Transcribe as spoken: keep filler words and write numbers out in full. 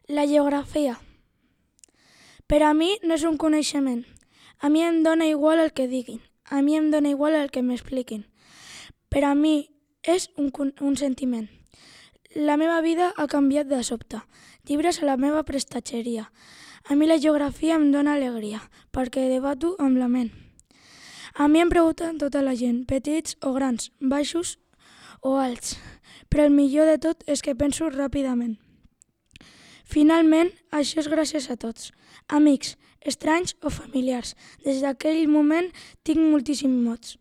La geografia. Per a mi no és un coneixement. A mi em dóna igual el que diguin. A mi em dóna igual el que m'expliquin. Per a mi és un, un sentiment. La meva vida ha canviat de sobte. Llibres a la meva prestatgeria. A mi la geografia em dóna alegria, perquè debato amb la ment. A mi em pregunten tota la gent, petits o grans, baixos o alts, però el millor de tot és que penso ràpidament. Finalment, això és gràcies a tots, amics, estranys o familiars. Des d'aquell moment tinc moltíssims mots.